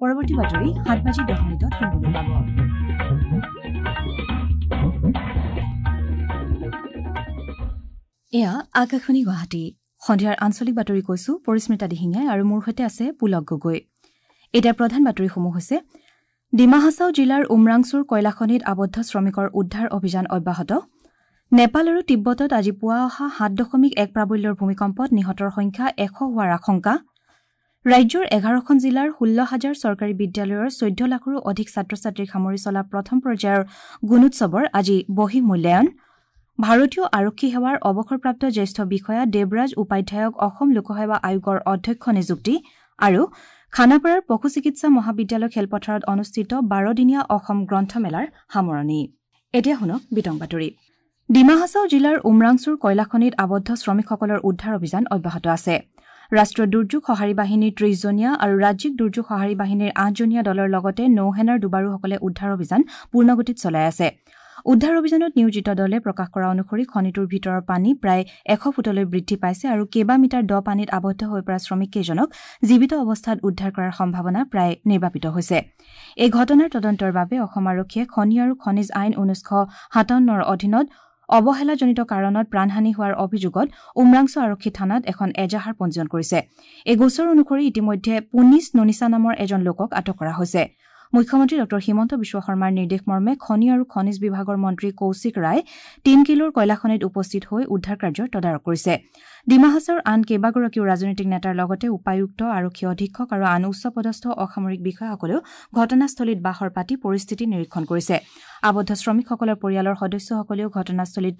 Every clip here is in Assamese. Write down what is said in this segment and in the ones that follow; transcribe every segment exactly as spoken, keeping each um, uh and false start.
পৰৱৰ্তী বাতৰি সাত বাজি দহ মিনিটত শুনিবলৈ পাব। এয়া আকাশবাণী গুৱাহাটী। সন্ধিয়াৰ আঞ্চলিক বাতৰি কৈছো পৰিস্মিতা দিহিঙীয়াই আৰু মোৰ সৈতে আছে পুলক গগৈ। এতিয়া প্ৰধান বাতৰিসমূহ হৈছে: ডিমা হাছাও জিলাৰ উমৰাংচুৰ কয়লাখনিত আবদ্ধ শ্ৰমিকৰ উদ্ধাৰ অভিযান অব্যাহত। নেপাল আৰু তিব্বতত আজি পুৱা অহা সাত দশমিক এক প্ৰাবল্যৰ ভূমিকম্পত নিহতৰ সংখ্যা এশ হোৱাৰ আশংকা। ৰাজ্যৰ এঘাৰখন জিলাৰ ষোল্ল হাজাৰ চৰকাৰী বিদ্যালয়ৰ চৈধ্য লাখৰো অধিক ছাত্ৰ ছাত্ৰীক সামৰি চলা প্ৰথম পৰ্যায়ৰ গুণোৎসৱৰ আজি বহিঃ মূল্যায়ন। ভাৰতীয় আৰক্ষী সেৱাৰ অৱসৰপ্ৰাপ্ত জ্যেষ্ঠ বিষয়া দেৱৰাজ উপাধ্যায়ক অসম লোকসেৱা আয়োগৰ অধ্যক্ষ নিযুক্তি। আৰু খানাপাৰাৰ পশু চিকিৎসা মহাবিদ্যালয় খেলপথাৰত অনুষ্ঠিত বাৰদিনীয়া অসম গ্ৰন্থমেলাৰ সামৰণি। এতিয়া শুনক বিতং বাতৰি। ডিমা হাছাও জিলাৰ উমৰাংচুৰ কয়লাখনিত আবদ্ধ শ্ৰমিকসকলৰ উদ্ধাৰ অভিযান অব্যাহত আছে। ৰাষ্ট্ৰীয় দুৰ্যোগ সঁহাৰি বাহিনীৰ ত্ৰিশজনীয়া আৰু ৰাজ্যিক দুৰ্যোগ সঁহাৰি বাহিনীৰ আঠজনীয়া দলৰ লগতে নৌসেনাৰ ডুবাৰুসকলে উদ্ধাৰ অভিযান পূৰ্ণগতিত চলাই আছে। উদ্ধাৰ অভিযানত নিয়োজিত দলে প্ৰকাশ কৰা অনুসৰি খনিটোৰ ভিতৰৰ পানী প্ৰায় এশ ফুটলৈ বৃদ্ধি পাইছে আৰু কেইবা মিটাৰ দ পানীত আবদ্ধ হৈ পৰা শ্ৰমিককেইজনক জীৱিত অৱস্থাত উদ্ধাৰ কৰাৰ সম্ভাৱনা প্ৰায় নিৰ্বাপিত হৈছে। এই ঘটনাৰ তদন্তৰ বাবে অসম আৰক্ষীয়ে খনি আৰু খনিজ আইন ঊনৈছশ সাতাৱন্নৰ অধীনত অৱহেলাজনিত কাৰণত প্ৰাণহানি হোৱাৰ অভিযোগত উমৰাংচু আৰক্ষী থানাত এখন এজাহাৰ পঞ্জীয়ন কৰিছে। এই গোচৰ অনুসৰি ইতিমধ্যে পুনিছ নুনিছা নামৰ এজন লোকক আটক কৰা হৈছে। মুখ্যমন্ত্ৰী ডঃ হিমন্ত বিশ্ব শৰ্মাৰ নিৰ্দেশ মৰ্মে খনি আৰু খনিজ বিভাগৰ মন্ত্ৰী কৌশিক ৰায় তিনকিলোৰ কয়লাখনিত উপস্থিত হৈ উদ্ধাৰ কাৰ্যৰ তদাৰক কৰিছে। ডিমা হাছাওৰ আন কেইবাগৰাকীও ৰাজনৈতিক নেতাৰ লগতে উপায়ুক্ত, আৰক্ষী অধীক্ষক আৰু আন উচ্চপদস্থ অসামৰিক বিষয়াসকলেও ঘটনাস্থলীত বাহৰ পাতি পৰিস্থিতি নিৰীক্ষণ কৰিছে। আবদ্ধ শ্ৰমিকসকলৰ পৰিয়ালৰ সদস্যসকলেও ঘটনাস্থলীত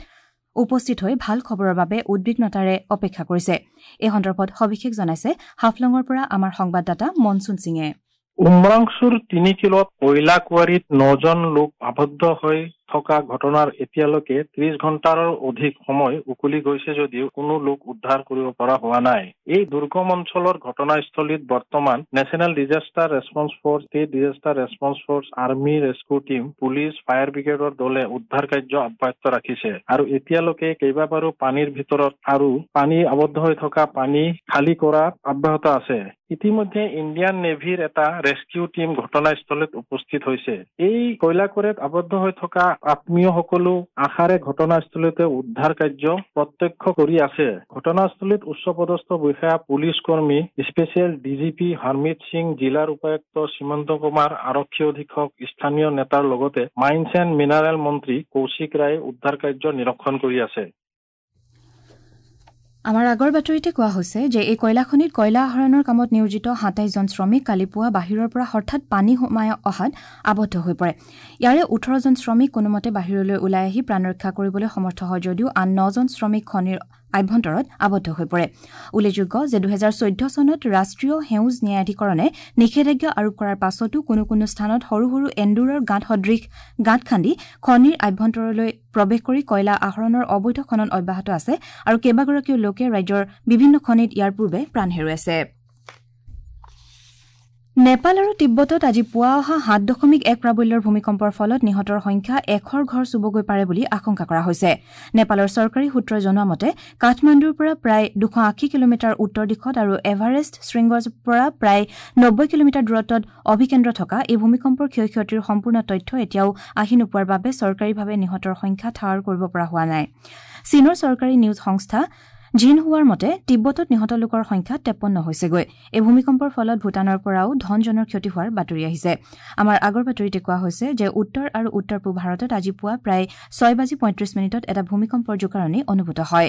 উপস্থিত হৈ ভাল খবৰৰ বাবে উদ্বিগ্নতাৰে অপেক্ষা কৰিছে। এই সন্দৰ্ভত সবিশেষ জনাইছে হাফলঙৰ পৰা আমাৰ সংবাদদাতা মনচুন সিঙে। উমৰাংচুৰ তিনি কিলোত কয়লা কুঁৱাৰীত নজন লোক আবদ্ধ হৈ থকা ঘটনাৰ এতিয়ালৈকে ত্ৰিশ ঘণ্টাৰো অধিক সময় উকলি গৈছে যদিও কোনো লোক উদ্ধাৰ কৰিব পৰা হোৱা নাই। এই দুৰ্গম অঞ্চলৰ ঘটনাস্থলীত বৰ্তমান national disaster response force, state disaster response force, army rescue team, police, fire ব্ৰিগেডৰ দলে উদ্ধাৰ কাৰ্য অব্যাহত ৰাখিছে আৰু এতিয়ালৈকে কেইবাবাৰো পানীৰ ভিতৰত আৰু পানী আবদ্ধ হৈ থকা পানী খালী কৰা অব্যাহত আছে। ইতিমধ্যে ইণ্ডিয়ান নেভিৰ এটা ৰেস্কিউ টীম ঘটনাস্থলীত উপস্থিত হৈছে। এই কয়লাকুঁৱাৰীত আবদ্ধ হৈ থকা আত্মীয়সকলো আশাৰে ঘটনাস্থলীতে উদ্ধাৰ কাৰ্য প্ৰত্যক্ষ কৰি আছে। ঘটনাস্থলীত উচ্চপদস্থ বিষয়া, পুলিচ কৰ্মী, স্পেচিয়েল ডিজিপি হৰমিত সিং, জিলাৰ উপায়ুক্ত সীমন্ত কুমাৰ, আৰক্ষী অধীক্ষক, স্থানীয় নেতাৰ লগতে মাইন্স এণ্ড মিনাৰেল মন্ত্ৰী কৌশিক ৰায়ে উদ্ধাৰ কাৰ্য নিৰীক্ষণ কৰি আছে। আমাৰ আগৰ বাতৰিতে কোৱা হৈছে যে এই কয়লাখনিত কয়লা আহৰণৰ কামত নিয়োজিত সাতাইছজন শ্ৰমিক কালি পুৱা বাহিৰৰ পৰা হঠাৎ পানী সোমাই অহাত আবদ্ধ হৈ পৰে। ইয়াৰে ওঠৰজন শ্ৰমিক কোনোমতে বাহিৰলৈ ওলাই আহি প্ৰাণ ৰক্ষা কৰিবলৈ সমৰ্থ হয় যদিও আন নজন শ্ৰমিক খনিৰ আভ্যন্তৰত আবদ্ধ হৈ পৰে। উল্লেখযোগ্য যে দুহেজাৰ চৈধ্য চনত ৰাষ্ট্ৰীয় সেউজ ন্যায়াধিকৰণে নিষেধাজ্ঞা আৰোপ কৰাৰ পাছতো কোনো কোনো স্থানত সৰু সৰু এন্দুৰৰ গাঁত সদৃশ গাঁত খান্দি খনিৰ আভ্যন্তৰলৈ প্ৰৱেশ কৰি কয়লা আহৰণৰ অবৈধ খনন অব্যাহত আছে আৰু কেইবাগৰাকীও লোকে ৰাজ্যৰ বিভিন্ন খনিত ইয়াৰ পূৰ্বে প্ৰাণ হেৰুৱাইছে। নেপাল আৰু তিব্বতত আজি পুৱা অহা সাত দশমিক এক প্ৰাবল্যৰ ভূমিকম্পৰ ফলত নিহতৰ সংখ্যা এশৰ ঘৰ চুবগৈ পাৰে বুলি আশংকা কৰা হৈছে। নেপালৰ চৰকাৰী সূত্ৰই জনোৱা মতে কাঠমাণ্ডুৰ পৰা প্ৰায় দুশ আশী কিলোমিটাৰ উত্তৰ দিশত আৰু এভাৰেষ্ট শৃংগৰ পৰা প্ৰায় নব্বৈ কিলোমিটাৰ দূৰত্বত অভিকেন্দ্ৰ থকা এই ভূমিকম্পৰ ক্ষয় ক্ষতিৰ সম্পূৰ্ণ তথ্য এতিয়াও আহি নোপোৱাৰ বাবে চৰকাৰীভাৱে নিহতৰ সংখ্যা ঠাৱৰ কৰিব পৰা হোৱা নাই। চীনৰ চৰকাৰী নিউজ সংস্থা জিনহুৱাৰ মতে তিব্বতত নিহত লোকৰ সংখ্যা তেপন্ন হৈছেগৈ। এই ভূমিকম্পৰ ফলত ভূটানৰ পৰাও ধনজনৰ ক্ষতি হোৱাৰ বাতৰি আহিছে। আমাৰ আগৰ বাতৰিতে কোৱা হৈছে যে উত্তৰ আৰু উত্তৰ পূব ভাৰতত আজি পুৱা প্ৰায় ছয় বাজি পঁয়ত্ৰিশ মিনিটত এটা ভূমিকম্পৰ জোকাৰণি অনুভূত হয়।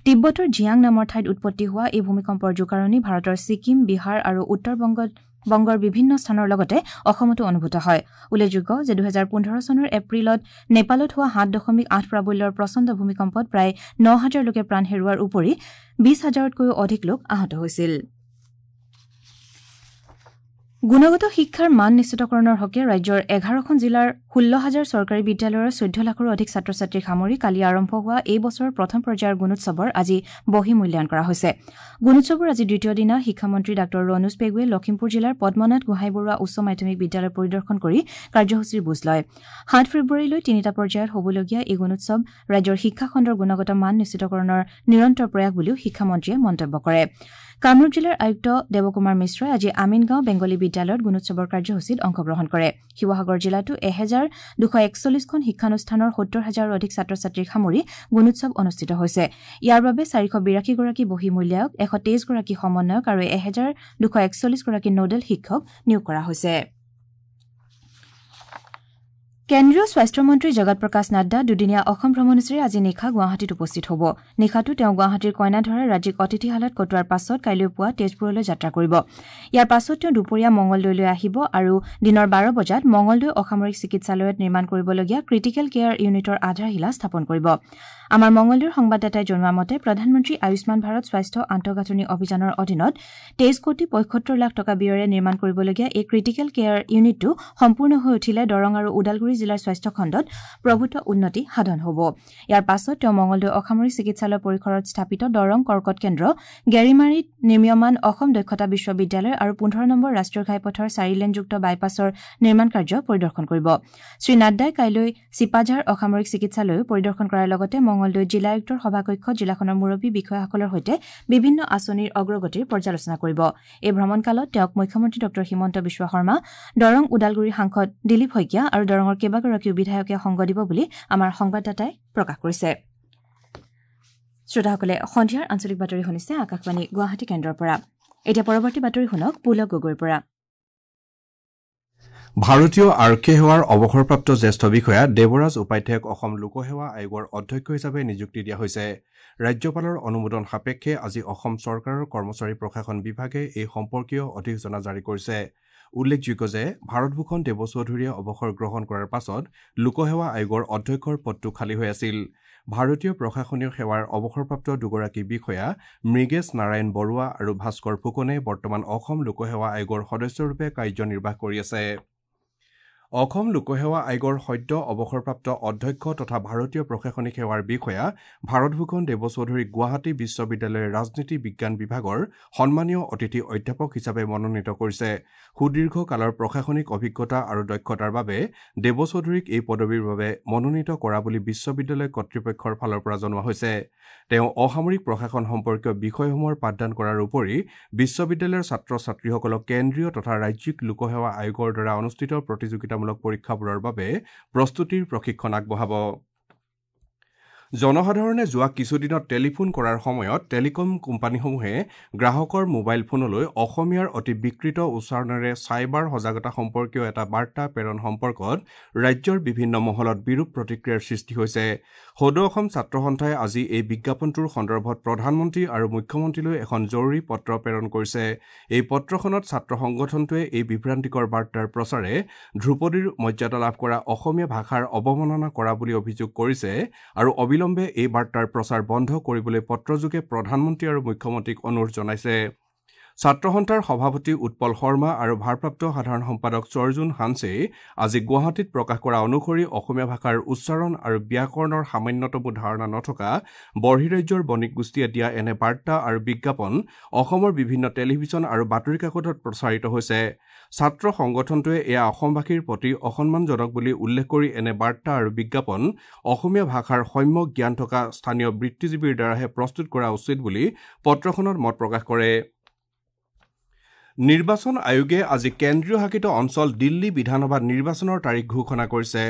তিব্বতৰ জিয়াং নামৰ ঠাইত উৎপত্তি হোৱা এই ভূমিকম্পৰ জোকাৰণি ভাৰতৰ ছিকিম, বিহাৰ আৰু উত্তৰ বংগত বংগৰ বিভিন্ন স্থানৰ লগতে অসমতো অনুভূত হয়। উল্লেখযোগ্য যে দুহেজাৰ পোন্ধৰ চনৰ এপ্ৰিলত নেপালত হোৱা সাত দশমিক আঠ প্ৰাবল্যৰ প্ৰচণ্ড ভূমিকম্পত প্ৰায় ন হাজাৰ লোকে প্ৰাণ হেৰুওৱাৰ উপৰি বিশ হাজাৰতকৈও অধিক লোক আহত হৈছিল। গুণগত শিক্ষাৰ মান নিশ্চিতকৰণৰ হকে ৰাজ্যৰ এঘাৰখন জিলাৰ ষোল্ল হাজাৰ চৰকাৰী বিদ্যালয়ৰ চৈধ্য লাখৰো অধিক ছাত্ৰ ছাত্ৰীক সামৰি কালি আৰম্ভ হোৱা এই বছৰৰ প্ৰথম পৰ্যায়ৰ গুণোৎসৱৰ আজি বহি মূল্যায়ন কৰা হৈছে। গুণোৎসৱৰ আজি দ্বিতীয় দিনা শিক্ষামন্ত্ৰী ডাঃ ৰণোজ পেগুৱে লখিমপুৰ জিলাৰ পদ্মনাথ গোহাঁই বৰুৱা উচ্চ মাধ্যমিক বিদ্যালয় পৰিদৰ্শন কৰি কাৰ্যসূচীৰ বুজ লয়। সাত ফেব্ৰুৱাৰীলৈ তিনিটা পৰ্যায়ত হ'বলগীয়া এই গুণোৎসৱ ৰাজ্যৰ শিক্ষাখণ্ডৰ গুণগত মান নিশ্চিতকৰণৰ নিৰন্তৰ প্ৰয়াস বুলিও শিক্ষামন্ত্ৰীয়ে মন্তব্য কৰে। কামৰূপ জিলাৰ আয়ুক্ত দেৱকুমাৰ মিশ্ৰই আজি আমিনগাঁও বেংগলী বিদ্যালয়ত গুণোৎসৱৰ কাৰ্যসূচীত অংশগ্ৰহণ কৰে। শিৱসাগৰ জিলাতো এহেজাৰ দুশ একচল্লিছখন শিক্ষানুষ্ঠানৰ সত্তৰ হাজাৰৰো অধিক ছাত্ৰ ছাত্ৰীক সামৰি গুণোৎসৱ অনুষ্ঠিত হৈছে। ইয়াৰ বাবে চাৰিশ বিৰাশীগৰাকী বহিঃমূল্যায়ক, এশ তেইছগৰাকী সমন্বয়ক আৰু এহেজাৰ দুশ একচল্লিছগৰাকী নোডেল শিক্ষক নিয়োগ কৰা হৈছে। কেন্দ্ৰীয় স্বাস্থ্যমন্ত্ৰী জগত প্ৰকাশ নাড্ডা দুদিনীয়া অসম ভ্ৰমণসূচীৰে আজি নিশা গুৱাহাটীত উপস্থিত হ'ব। নিশাটো তেওঁ গুৱাহাটীৰ কইনাধৰাৰ ৰাজ্যিক অতিথিশালাত কটোৱাৰ পাছত কাইলৈ পুৱা তেজপুৰলৈ যাত্ৰা কৰিব। ইয়াৰ পাছত তেওঁ দুপৰীয়া মঙলদৈলৈ আহিব আৰু দিনৰ বাৰ বজাত মঙলদৈ অসামৰিক চিকিৎসালয়ত নিৰ্মাণ কৰিবলগীয়া ক্ৰিটিকেল কেয়াৰ ইউনিটৰ আধাৰশিলা স্থাপন কৰিব। আমাৰ মঙলদৈৰ সংবাদদাতাই জনোৱা মতে প্ৰধানমন্ত্ৰী আয়ুষ্মান ভাৰত স্বাস্থ্য আন্তঃগাঁথনি অভিযানৰ অধীনত তেইছ কোটি পঁয়সত্তৰ লাখ টকা ব্যয়েৰে নিৰ্মাণ কৰিবলগীয়া এই ক্ৰিটিকেল কেয়াৰ ইউনিটটো সম্পূৰ্ণ হৈ উঠিলে দৰং আৰু ওদালগুৰি জিলাৰ স্বাস্থ্যখণ্ডত প্ৰভূত উন্নতি সাধন হ'ব। ইয়াৰ পাছত তেওঁ মঙলদৈ অসামৰিক চিকিৎসালয় পৰিসৰত স্থাপিত দৰং কৰ্কট কেন্দ্ৰ, গেৰিমাৰীত নিৰ্মীয়মান অসম দক্ষতা বিশ্ববিদ্যালয় আৰু পোন্ধৰ নম্বৰ ৰাষ্ট্ৰীয় ঘাইপথৰ চাৰিলেনযুক্ত বাইপাছৰ নিৰ্মাণ কাৰ্য পৰিদৰ্শন কৰিব। শ্ৰী নাড্ডাই কাইলৈ চিপাঝাৰ অসামৰিক চিকিৎসালয়ো পৰিদৰ্শন কৰাৰ লগতে মঙলদৈ জিলা আয়ুক্তৰ সভাকক্ষত জিলাখনৰ মুৰব্বী বিষয়াসকলৰ সৈতে বিভিন্ন আঁচনিৰ অগ্ৰগতিৰ পৰ্যালোচনা কৰিব। এই ভ্ৰমণকালত তেওঁক মুখ্যমন্ত্ৰী ডঃ হিমন্ত বিশ্ব শৰ্মা, দৰং ওদালগুৰি সাংসদ দিলীপ শইকীয়া আৰু দৰঙৰ কেইবাগৰাকীও বিধায়কে সংগ দিব বুলি আমাৰ সংবাদদাতাই প্ৰকাশ কৰিছে। শ্ৰোতাসকলে সন্ধিয়াৰ আঞ্চলিক বাতৰি শুনিছে আকাশবাণী গুৱাহাটী কেন্দ্ৰৰ পৰা। এতিয়া পৰৱৰ্তী বাতৰি শুনক পুলক গগৈৰ পৰা। ভাৰতীয় আৰক্ষী সেৱাৰ অৱসৰপ্ৰাপ্ত জ্যেষ্ঠ বিষয়া দেৱৰাজ উপাধ্যায়ক অসম লোকসেৱা আয়োগৰ অধ্যক্ষ হিচাপে নিযুক্তি দিয়া হৈছে। ৰাজ্যপালৰ অনুমোদন সাপেক্ষে আজি অসম চৰকাৰৰ কৰ্মচাৰী প্ৰশাসন বিভাগে এই সম্পৰ্কীয় অধিসূচনা জাৰি কৰিছে। উল্লেখযোগ্য যে ভাৰতভূষণ দেৱচৌধুৰীয়ে অৱসৰ গ্ৰহণ কৰাৰ পাছত লোকসেৱা আয়োগৰ অধ্যক্ষৰ পদটো খালী হৈ আছিল। ভাৰতীয় প্ৰশাসনীয় সেৱাৰ অৱসৰপ্ৰাপ্ত দুগৰাকী বিষয়া মৃগেশ নাৰায়ণ বৰুৱা আৰু ভাস্কৰ ফুকনে বৰ্তমান অসম লোকসেৱা আয়োগৰ সদস্যৰূপে কাৰ্যনিৰ্বাহ কৰি আছে। অসম লোকসেৱা আয়োগৰ সদ্য অৱসৰপ্ৰাপ্ত অধ্যক্ষ তথা ভাৰতীয় প্ৰশাসনিক সেৱাৰ বিষয়া ভাৰতভূষণ দেৱচৌধুৰীক গুৱাহাটী বিশ্ববিদ্যালয়ৰ ৰাজনীতি বিজ্ঞান বিভাগৰ সন্মানীয় অতিথি অধ্যাপক হিচাপে মনোনীত কৰিছে। সুদীৰ্ঘ কালৰ প্ৰশাসনিক অভিজ্ঞতা আৰু দক্ষতাৰ বাবে দেৱচৌধুৰীক এই পদবীৰ বাবে মনোনীত কৰা বুলি বিশ্ববিদ্যালয় কৰ্তৃপক্ষৰ ফালৰ পৰা জনোৱা হৈছে। তেওঁ অসামৰিক প্ৰশাসন সম্পৰ্কীয় বিষয়সমূহৰ পাঠদান কৰাৰ উপৰি বিশ্ববিদ্যালয়ৰ ছাত্ৰ ছাত্ৰীসকলক কেন্দ্ৰীয় তথা ৰাজ্যিক লোকসেৱা আয়োগৰ দ্বাৰা অনুষ্ঠিত প্ৰতিযোগিতামূলক পৰীক্ষাবোৰৰ বাবে প্ৰস্তুতিৰ প্ৰশিক্ষণ আগবঢ়াব। জনসাধাৰণে যোৱা কিছুদিনত টেলিফোন কৰাৰ সময়ত টেলিকম কোম্পানীসমূহে গ্ৰাহকৰ মোবাইল ফোনলৈ অসমীয়াৰ অতি বিকৃত উচ্চাৰণেৰে চাইবাৰ সজাগতা সম্পৰ্কীয় এটা বাৰ্তা প্ৰেৰণ সম্পৰ্কত ৰাজ্যৰ বিভিন্ন মহলত বিৰূপ প্ৰতিক্ৰিয়াৰ সৃষ্টি হৈছে। সদৌ অসম ছাত্ৰ সন্থাই আজি এই বিজ্ঞাপনটোৰ সন্দৰ্ভত প্ৰধানমন্ত্ৰী আৰু মুখ্যমন্ত্ৰীলৈ এখন জৰুৰী পত্ৰ প্ৰেৰণ কৰিছে। এই পত্ৰখনত ছাত্ৰ সংগঠনটোৱে এই বিভ্ৰান্তিকৰ বাৰ্তাৰ প্ৰচাৰে ধ্ৰুপদীৰ মৰ্যাদা লাভ কৰা অসমীয়া ভাষাৰ অৱমাননা কৰা বুলি অভিযোগ কৰিছে আৰু অবিলম্বে এই বাৰ্তাৰ প্ৰচাৰ বন্ধ কৰিবলৈ পত্ৰযোগে প্ৰধানমন্ত্ৰী আৰু মুখ্যমন্ত্ৰীক অনুৰোধ জনাইছে। ছাত্ৰ সন্থাৰ সভাপতি উৎপল শৰ্মা আৰু ভাৰপ্ৰাপ্ত সাধাৰণ সম্পাদক চৰ্জুন হানছে আজি গুৱাহাটীত প্ৰকাশ কৰা অনুসৰি অসমীয়া ভাষাৰ উচ্চাৰণ আৰু ব্যাকৰণৰ সামান্যতমো ধাৰণা নথকা বৰ্হিৰাজ্যৰ বণিক গোষ্ঠীয়ে দিয়া এনে বাৰ্তা আৰু বিজ্ঞাপন অসমৰ বিভিন্ন টেলিভিছন আৰু বাতৰি কাকতত প্ৰচাৰিত হৈছে। ছাত্ৰ সংগঠনটোৱে এয়া অসমবাসীৰ প্ৰতি অসন্মানজনক বুলি উল্লেখ কৰি এনে বাৰ্তা আৰু বিজ্ঞাপন অসমীয়া ভাষাৰ সম্যক জ্ঞান থকা স্থানীয় বৃত্তিজীৱীৰ দ্বাৰাহে প্ৰস্তুত কৰা উচিত বুলি পত্ৰখনত মত প্ৰকাশ কৰে। নিৰ্বাচন আয়োগে আজি কেন্দ্ৰীয় শাসিত অঞ্চল দিল্লী বিধানসভা নিৰ্বাচনৰ তাৰিখ ঘোষণা কৰিছে।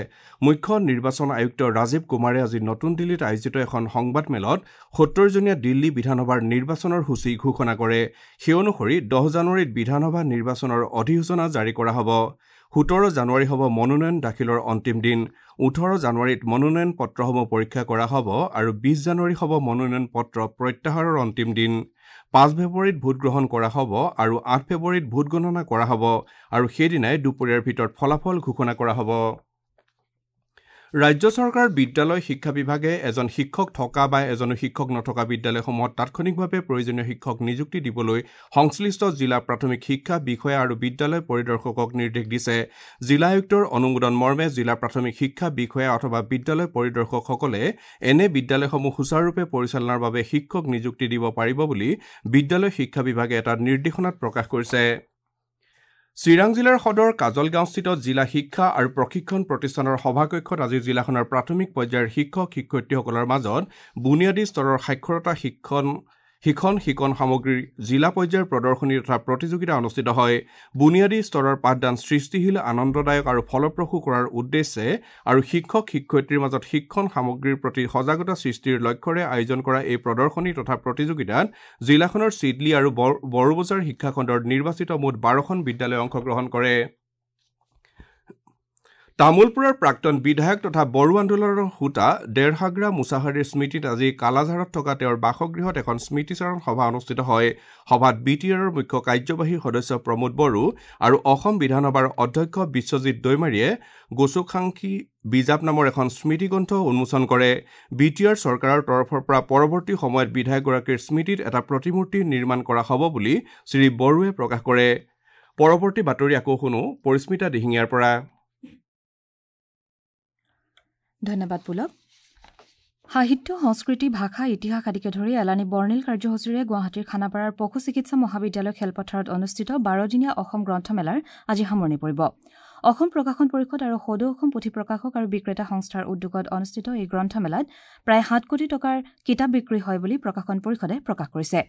মুখ্য নিৰ্বাচন আয়ুক্ত ৰাজীৱ কুমাৰে আজি নতুন দিল্লীত আয়োজিত এখন সংবাদমেলত সত্তৰজনীয়া দিল্লী বিধানসভাৰ নিৰ্বাচনৰ সূচী ঘোষণা কৰে। সেই অনুসৰি দহ জানুৱাৰীত বিধানসভা নিৰ্বাচনৰ অধিসূচনা জাৰি কৰা হ'ব। সোতৰ জানুৱাৰী হ'ব মনোনয়ন দাখিলৰ অন্তিম দিন। ওঠৰ জানুৱাৰীত মনোনয়ন পত্ৰসমূহ পৰীক্ষা কৰা হ'ব আৰু বিছ জানুৱাৰী হ'ব মনোনয়ন পত্ৰ প্ৰত্যাহাৰৰ অন্তিম দিন। পাঁচ ফেব্ৰুৱাৰীত ভোটগ্ৰহণ কৰা হ'ব আৰু আঠ ফেব্ৰুৱাৰীত ভোটগণনা কৰা হ'ব আৰু সেইদিনাই দুপৰীয়াৰ ভিতৰত ফলাফল ঘোষণা কৰা হ'ব। ৰাজ্য চৰকাৰৰ বিদ্যালয় শিক্ষা বিভাগে এজন শিক্ষক থকা বা এজনো শিক্ষক নথকা বিদ্যালয়সমূহত তাৎক্ষণিকভাৱে প্ৰয়োজনীয় শিক্ষক নিযুক্তি দিবলৈ সংশ্লিষ্ট জিলা প্ৰাথমিক শিক্ষা বিষয়া আৰু বিদ্যালয় পৰিদৰ্শকক নিৰ্দেশ দিছে। জিলা আয়ুক্তৰ অনুমোদন মৰ্মে জিলা প্ৰাথমিক শিক্ষা বিষয়া অথবা বিদ্যালয় পৰিদৰ্শকসকলে এনে বিদ্যালয়সমূহ সুচাৰুৰূপে পৰিচালনাৰ বাবে শিক্ষক নিযুক্তি দিব পাৰিব বুলি বিদ্যালয় শিক্ষা বিভাগে এটা নিৰ্দেশনাত প্ৰকাশ কৰিছে। চিৰাং জিলাৰ সদৰ কাজলগাঁওস্থিত জিলা শিক্ষা আৰু প্ৰশিক্ষণ প্ৰতিষ্ঠানৰ সভাকক্ষত আজি জিলাখনৰ প্ৰাথমিক পৰ্যায়ৰ শিক্ষক শিক্ষয়িত্ৰীসকলৰ মাজত বুনিয়াদী স্তৰৰ সাক্ষৰতা শিক্ষণ শিক্ষণ শিকন সামগ্ৰীৰ জিলা পৰ্যায়ৰ প্ৰদৰ্শনী তথা প্ৰতিযোগিতা অনুষ্ঠিত হয়। বুনিয়াদী স্তৰৰ পাঠদান সৃষ্টিশীল, আনন্দদায়ক আৰু ফলপ্ৰসূ কৰাৰ উদ্দেশ্যে আৰু শিক্ষক শিক্ষয়িত্ৰীৰ মাজত শিক্ষণ সামগ্ৰীৰ প্ৰতি সজাগতা সৃষ্টিৰ লক্ষ্যৰে আয়োজন কৰা এই প্ৰদৰ্শনী তথা প্ৰতিযোগিতাত জিলাখনৰ চিডলি আৰু বড়োবজাৰ শিক্ষাখণ্ডৰ নিৰ্বাচিত মুঠ বাৰখন বিদ্যালয়ে অংশগ্ৰহণ কৰে। তামুলপুৰৰ প্ৰাক্তন বিধায়ক তথা বড়ো আন্দোলনৰ হোতা ডেৰহাগ্ৰা মুছাহাৰীৰ স্মৃতিত আজি কালাঝাৰত থকা তেওঁৰ বাসগৃহত এখন স্মৃতিচাৰণ সভা অনুষ্ঠিত হয়। সভাত বি টি আৰৰ মুখ্য কাৰ্যবাহী সদস্য প্ৰমোদ বড়ো আৰু অসম বিধানসভাৰ অধ্যক্ষ বিশ্বজিৎ দৈমাৰীয়ে গোচুখাংখী বিজাপ নামৰ এখন স্মৃতিগ্ৰন্থ উন্মোচন কৰে। বি টি আৰ চৰকাৰৰ তৰফৰ পৰা পৰৱৰ্তী সময়ত বিধায়কগৰাকীৰ স্মৃতিত এটা প্ৰতিমূৰ্তি নিৰ্মাণ কৰা হ'ব বুলি শ্ৰী বড়োৱে প্ৰকাশ কৰে। পৰৱৰ্তী বাতৰি আকৌ শুনো পৰিস্মিতা দিহিঙীয়াৰ পৰা। ধন্যবাদ পুলক। সাহিত্য, সংস্কৃতি, ভাষা, ইতিহাস আদিকে ধৰি এলানি বৰ্ণিল কাৰ্যসূচীৰে গুৱাহাটীৰ খানাপাৰাৰ পশু চিকিৎসা মহাবিদ্যালয় খেলপথাৰত অনুষ্ঠিত বাৰদিনীয়া অসম গ্ৰন্থমেলাৰ আজি সামৰণি পৰিব। অসম প্ৰকাশন পৰিষদ আৰু সদৌ অসম পুথি প্ৰকাশক আৰু বিক্ৰেতা সংস্থাৰ উদ্যোগত অনুষ্ঠিত এই গ্ৰন্থমেলাত প্ৰায় সাত কোটি টকাৰ কিতাপ বিক্ৰী হয় বুলি প্ৰকাশন পৰিষদে প্ৰকাশ কৰিছে।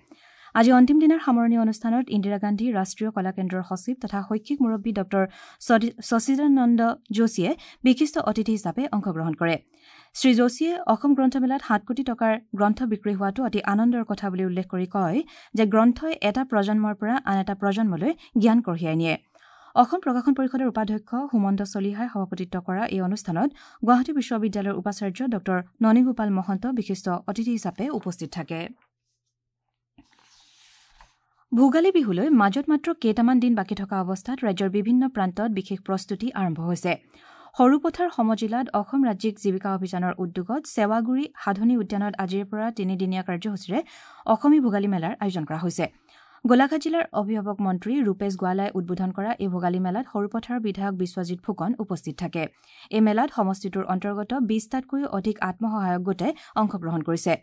আজি অন্তিম দিনাৰ সামৰণি অনুষ্ঠানত ইন্দিৰা গান্ধী ৰাষ্ট্ৰীয় কলা কেন্দ্ৰৰ সচিব তথা শৈক্ষিক মুৰব্বী ডঃ শশীদানন্দ যোশীয়ে বিশিষ্ট অতিথি হিচাপে অংশগ্ৰহণ কৰে। শ্ৰী যোশীয়ে অসম গ্ৰন্থমেলাত সাত কোটি টকাৰ গ্ৰন্থ বিক্ৰী হোৱাটো অতি আনন্দৰ কথা বুলি উল্লেখ কৰি কয় যে গ্ৰন্থই এটা প্ৰজন্মৰ পৰা আন এটা প্ৰজন্মলৈ জ্ঞান কঢ়িয়াই নিয়ে। অসম প্ৰকাশন পৰিষদৰ উপাধ্যক্ষ সুমন্ত চলিহাই সভাপতিত্ব কৰা এই অনুষ্ঠানত গুৱাহাটী বিশ্ববিদ্যালয়ৰ উপাচাৰ্য ডঃ ননীগোপাল মহন্ত বিশিষ্ট অতিথি হিচাপে উপস্থিত থাকে। ভোগালী বিহুলৈ মাজত মাত্ৰ কেইটামান দিন বাকী থকা অৱস্থাত ৰাজ্যৰ বিভিন্ন প্ৰান্তত বিশেষ প্ৰস্তুতি আৰম্ভ হৈছে। সৰুপথাৰ সমজিলাত অসম ৰাজ্যিক জীৱিকা অভিযানৰ উদ্যোগত সেৱাগুৰি সাধনী উদ্যানত আজিৰে পৰা তিনিদিনীয়া কাৰ্যসূচীৰে অসমী ভোগালী মেলাৰ আয়োজন কৰা হৈছে। গোলাঘাট জিলাৰ অভিভাৱক মন্ত্ৰী ৰূপেশ গোৱালাই উদ্বোধন কৰা এই ভোগালী মেলাত সৰুপথাৰৰ বিধায়ক বিশ্বজিৎ ফুকন উপস্থিত থাকে। এই মেলাত সমষ্টিটোৰ অন্তৰ্গত বিশটাতকৈও অধিক আত্মসহায়ক গোটে অংশগ্ৰহণ কৰিছে।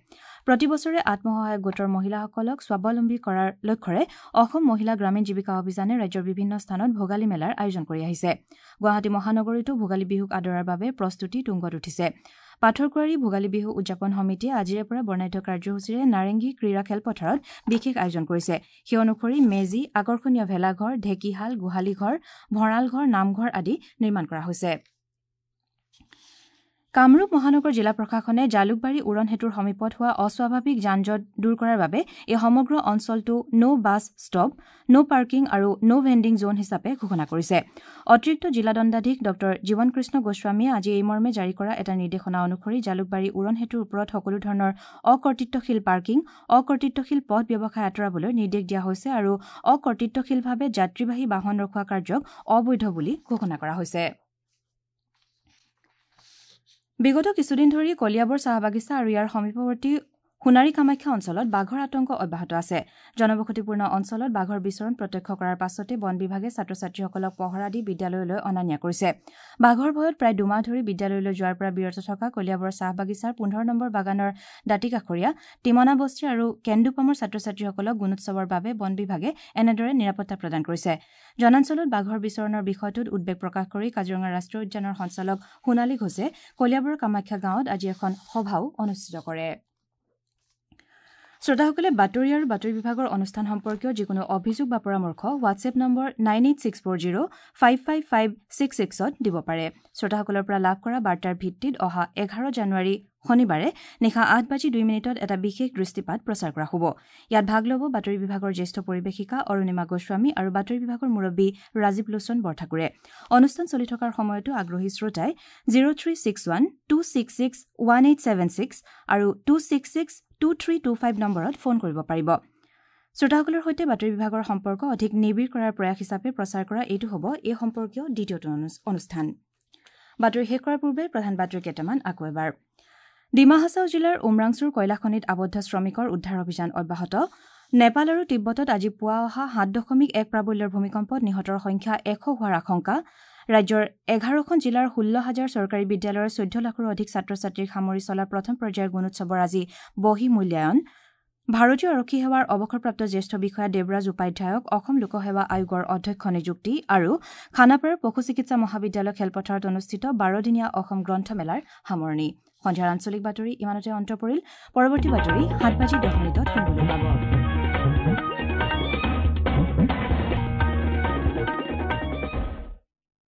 প্ৰতি বছৰে আত্মসহায়ক গোটৰ মহিলাসকলক স্বাৱলম্বী কৰাৰ লক্ষ্যৰে অসম মহিলা গ্ৰামীণ জীৱিকা অভিযানে ৰাজ্যৰ বিভিন্ন স্থানত ভোগালী মেলাৰ আয়োজন কৰি আহিছে। গুৱাহাটী মহানগৰীতো ভোগালী বিহুক আদৰাৰ বাবে প্ৰস্তুতি তুংগত উঠিছে। পাথৰকুঁৱাৰী ভোগালী বিহু উদযাপন সমিতিয়ে আজিৰে পৰা বৰ্ণাঢ্য কাৰ্যসূচীৰে নাৰেংগী ক্ৰীড়া খেলপথাৰত বিশেষ আয়োজন কৰিছে। সেই অনুসৰি মেজি, আকৰ্ষণীয় ভেলাঘৰ, ঢেকীশাল, গোহালিঘৰ, ভঁৰালঘৰ, নামঘৰ আদি নিৰ্মাণ কৰা হৈছে। কামৰূপ মহানগৰ জিলা প্ৰশাসনে জালুকবাৰী উৰণ সেতুৰ সমীপত হোৱা অস্বাভাৱিক যান জঁট দূৰ কৰাৰ বাবে এই সমগ্ৰ অঞ্চলটো no bus stop, no parking আৰু ন' ভেণ্ডিং জ'ন হিচাপে ঘোষণা কৰিছে। অতিৰিক্ত জিলা দণ্ডাধীশ ডঃ জীৱন কৃষ্ণ গোস্বামীয়ে আজি এই মৰ্মে জাৰি কৰা এটা নিৰ্দেশনা অনুসৰি জালুকবাৰী উৰণ সেতুৰ ওপৰত সকলো ধৰণৰ অকৰ্তৃত্বশীল পাৰ্কিং, অকৰ্তৃত্বশীল পথ ব্যৱসায় আঁতৰাবলৈ নিৰ্দেশ দিয়া হৈছে আৰু অকৰ্তৃত্বশীলভাৱে যাত্ৰীবাহী বাহন ৰখোৱা কাৰ্যক অবৈধ বুলি ঘোষণা কৰা হৈছে। বিগত কিছুদিন ধৰি কলিয়াবৰ চাহ বাগিচা আৰু ইয়াৰ সমীপৱৰ্তী সোণাৰী কামাখ্যা অঞ্চলত বাঘৰ আতংক অব্যাহত আছে। জনবসতিপূৰ্ণ অঞ্চলত বাঘৰ বিচৰণ প্ৰত্যক্ষ কৰাৰ পাছতে বন বিভাগে ছাত্ৰ ছাত্ৰীসকলক পহৰা দি বিদ্যালয়লৈ অনা নিয়া কৰিছে। বাঘৰ ভয়ত প্ৰায় দুমাহ ধৰি বিদ্যালয়লৈ যোৱাৰ পৰা বিৰত থকা কলিয়াবৰ চাহ বাগিচাৰ পোন্ধৰ নম্বৰ বাগানৰ দাঁতিকাষৰীয়া টিমনাবস্তি আৰু কেন্দুপামৰ ছাত্ৰ ছাত্ৰীসকলক গুণোৎসৱৰ বাবে বন বিভাগে এনেদৰে নিৰাপত্তা প্ৰদান কৰিছে। জনাঞ্চলত বাঘৰ বিচৰণৰ বিষয়টোত উদ্বেগ প্ৰকাশ কৰি কাজিৰঙা ৰাষ্ট্ৰীয় উদ্যানৰ সঞ্চালক সোণালী ঘোষে কলিয়াবৰৰ কামাখ্যা গাঁৱত আজি এখন সভাও অনুষ্ঠিত কৰে। শ্ৰোতাসকলে বাতৰি আৰু বাতৰি বিভাগৰ অনুষ্ঠান সম্পৰ্কীয় যিকোনো অভিযোগ বা পৰামৰ্শ WhatsApp number nine eight six four zero five five five six ছিক্সত দিব পাৰে। শ্ৰোতাসকলৰ পৰা লাভ কৰা বাৰ্তাৰ ভিত্তিত অহা এঘাৰ জানুৱাৰী শনিবাৰে নিশা আঠ বাজি দুই মিনিটত এটা বিশেষ দৃষ্টিপাত প্ৰচাৰ কৰা হ'ব। ইয়াত ভাগ ল'ব বাতৰি বিভাগৰ জ্যেষ্ঠ পৰিৱেশিকা অৰুণিমা গোস্বামী আৰু বাতৰি বিভাগৰ মুৰব্বী ৰাজীৱ লোচন বৰঠাকুৰে। অনুষ্ঠান চলি থকাৰ সময়তো আগ্ৰহী শ্ৰোতাই zero three six one two six six one eight seven six আৰু two six six two three two five নম্বৰত ফোন কৰিব পাৰিব। শ্ৰোতাসকলৰ সৈতে বাতৰি বিভাগৰ সম্পৰ্ক অধিক নিবিড় কৰাৰ প্ৰয়াস হিচাপে প্ৰচাৰ কৰা এইটো হ'ব এই সম্পৰ্কীয় দ্বিতীয়টো অনুষ্ঠান। বাতৰি শেষ কৰাৰ পূৰ্বে প্ৰধান বাতৰি কেইটামান আকৌ এবাৰ। ডিমা হাছাও জিলাৰ উমৰাংচুৰ কয়লাখনিত আবদ্ধ শ্ৰমিকৰ উদ্ধাৰ অভিযান অব্যাহত। নেপাল আৰু তিব্বতত আজি পুৱা অহা সাত দশমিক এক প্ৰাবল্যৰ ভূমিকম্পত নিহতৰ সংখ্যা এশ হোৱাৰ আশংকা। ৰাজ্যৰ এঘাৰখন জিলাৰ ষোল্ল হাজাৰ চৰকাৰী বিদ্যালয়ৰ চৈধ্য লাখৰো অধিক ছাত্ৰ ছাত্ৰীক সামৰি চলা প্ৰথম পৰ্যায়ৰ গুণোৎসৱৰ আজি বহি মূল্যায়ন। ভাৰতীয় আৰক্ষী সেৱাৰ অৱসৰপ্ৰাপ্ত জ্যেষ্ঠ বিষয়া দেৱৰাজ উপাধ্যায়ক অসম লোকসেৱা আয়োগৰ অধ্যক্ষ নিযুক্তি আৰু খানাপাৰাৰ পশু চিকিৎসা মহাবিদ্যালয় খেলপথাৰত অনুষ্ঠিত বাৰদিনীয়া অসম গ্ৰন্থমেলাৰ সামৰণি। সন্ধিয়াৰ আঞ্চলিক বাতৰি ইমানতে অন্ত পৰিল। পৰৱৰ্তী বাতৰি সাত বাজি দহ মিনিটত শুনিবলৈ পাব।